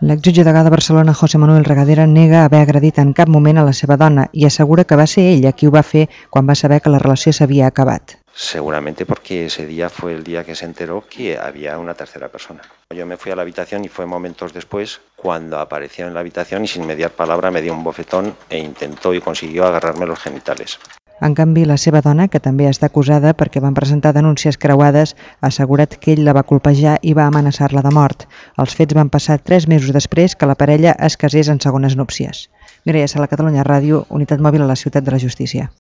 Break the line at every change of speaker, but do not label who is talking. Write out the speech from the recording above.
L'exjutge degà de Barcelona, José Manuel Regadera, nega haver agredit en cap moment a la seva dona i assegura que va ser ella qui ho va fer quan va saber que la relació s'havia acabat.
Seguramente porque ese día fue el día que se enteró que había una tercera persona. Yo me fui a la habitación y fue momentos después cuando apareció en la habitación y sin mediar palabra me dio un bofetón e intentó y consiguió agarrarme los genitales.
En canvi, la seva dona, que també està acusada perquè van presentar denúncies creuades, ha assegurat que ell la va colpejar i va amenaçar-la de mort. Els fets van passar 3 mesos després que la parella es casés en segones núpcies. Mireia Sala, Catalunya Ràdio, unitat mòbil a la Ciutat de la Justícia.